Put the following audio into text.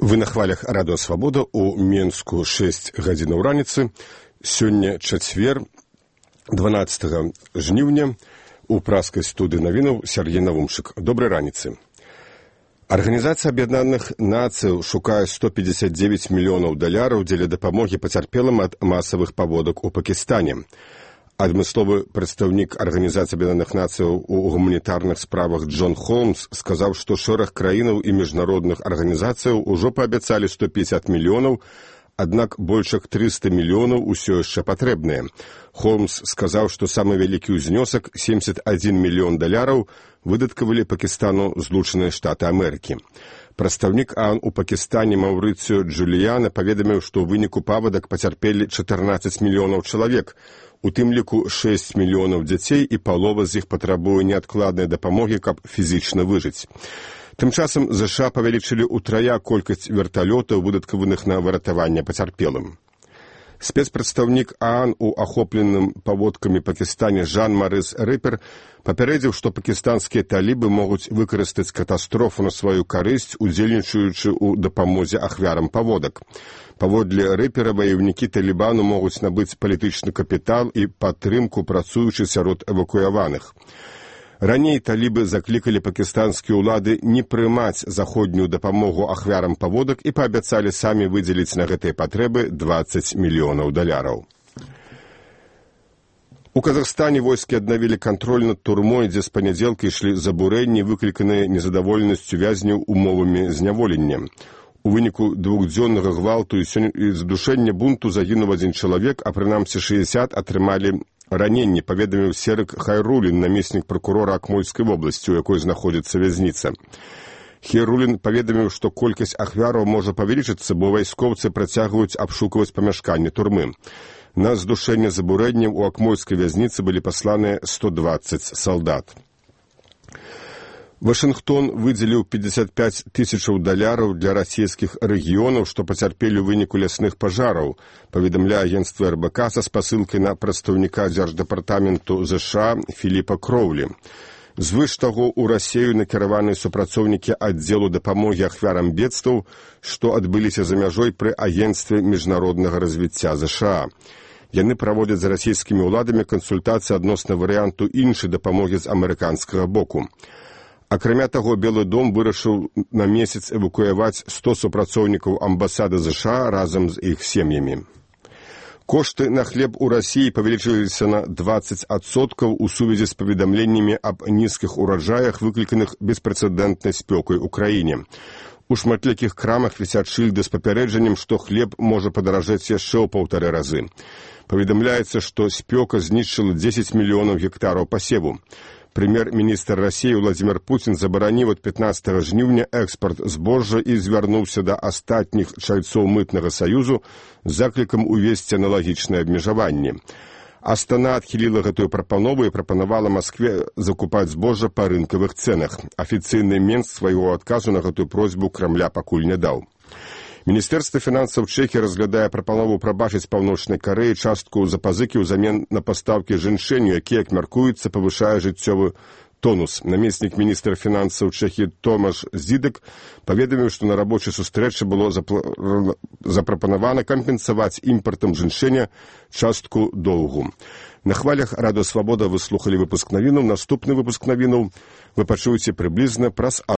Вы на хвалях Радыё Свабода, у Менску 6 гадзінаў раніцы. Сёння чацвер, 12 жніўня, у праскай студыі навінаў Сергей Навумшык. Добрай раніцы. Арганізацыя Аб'яднаных Нацый шукае $159 мільёнаў дзеля дапамогі пацярпелым ад масавых паводак у Пакістане. Адмысловы прадстаўнік Арганізацыі Аб'яднаных Нацыяў у гуманітарных справах Джон Холмс сказаў, што шэраг краінаў і міжнародных арганізацыяў ужо паабяцалі 150 мільёнаў, аднак больш як 300 мільёнаў усё яшчэ патрэбныя. Холмс сказаў, што самы вялікі ўзнёсак, $71 мільён, выдаткавалі Пакістану Злучаныя Штаты Амерыкі. Прадстаўнік АОН у Пакістане Маўрыцыё Джуліяна паведаміў, што ў выніку паводак пацярпелі 14 мільёнаў чалавек, у тым ліку 6 мільёнаў дзяцей, і палова з іх патрабуе неадкладнай дапамогі, каб фізічна выжыць. Тым часам ЗША павялічылі ўтрая колькасць верталётаў, выдаткаваных на выратаванне пацярпелым. Спецпрадстаўнік АОН у ахопленым паводкамі Пакістане Жан-Марыс Рыпер папярэдзіў, што пакістанскія талібы могуць выкарыстаць катастрофу на сваю карысць, удзельнічаючы ў дапамозе ахвярам паводак. Паводле Рыпера ваеўнікі Талібану могуць набыць палітычны капітал і падтрымку, працуючы сярод эвакуяваных. Раней талібы заклікалі пакістанскія ўлады не прымаць заходнюю дапамогу ахвярам паводак і паабяцалі самі выдзеліць на гэтыя патрэбы $20 мільёнаў. У Казахстане войскі аднавілі кантроль над турмой, дзе з панядзелка ішлі забурэнні, выкліканыя незадаволенасцю вязняў умовамі зняволення. У выніку двухдзённага гвалту і задушэння бунту загінуў 1 чалавек, а прынамсі 60 атрымалі раненні, паведаміў Серык Хайрулін, намеснік пракурора Акмольскай вобласці, у якой знаходзіцца вязніца. Хайрулін паведаміў, што колькасць ахвяраў можа павялічыцца, бо вайскоўцы працягваюць абшукваць памяшканні турмы. На здушэнне забурэнняў у Акмольскай вязніцы былі пасланыя 120 салдат. Вашынгтон выдзеліў $55 тысячаў для расійскіх рэгіёнаў, што пацярпелі ў выніку лясных пажараў, паведамляе агенцтва РБК са спасылкай на прадстаўніка дзярждэпартаменту ЗША Філіпа Кроўлі. Звыш таго, у Расею накіраваны супрацоўнікі аддзелу дапамогі ахвярам бедстваў, што адбыліся за мяжой пры агенцтве міжнароднага развіцця ЗША. Яны праводзяць з расійскімі ўладамі кансультацыі адносна варыянту іншай дапамогі з амерыканскага боку. Акрамя таго, Белы дом вырашыў на месяц эвакуяваць 100 супрацоўнікаў амбасады ЗША разам з іх сем'ямі. Кошты на хлеб у Расіі павялічыліся на 20% у сувязі з паведамленнямі аб нізкіх ураджаях, выкліканых беспрэцэдэнтнай спёкай у краіне. У шматлікіх крамах вісяць шыльды з папярэджаннем, што хлеб можа падаражэць яшчэ ў 1,5 разы. Паведамляецца, што спёка знішчыла 10 мільёнаў гектараў пасеву. Прэм'ер-міністр Расіі Владзімір Пуцін забараніў ад 15 жніўня экспарт збожжа і звярнуўся да астатніх чальцоў мытнага саюзу з заклікам увесці аналагічныя абмежаванні. Астана адхіліла гэтую прапанову і прапанавала Маскве закупаць збожжа па рынкавых цэнах. Афіцыйны Менск свайго адказу на гэтую просьбу Крамля пакуль не даў. Міністэрства фінансаў Чэхіі разглядае прапанову прабачыць Паўночнай Карэі частку запазыкі ўзамен на пастаўкі жэньшэню, які, як мяркуецца, павышае жыццёвы тонус. Намеснік міністра фінансаў Чэхіі Томаш Зідек паведаміў, што на рабочай сустрэчы было запрапанавана кампенсаваць імпартам жэньшэня частку доўгу. На хвалях Радыё Свабода вы слухалі выпуск навінаў. Наступны выпуск навінаў вы пачуеце прыблізна праз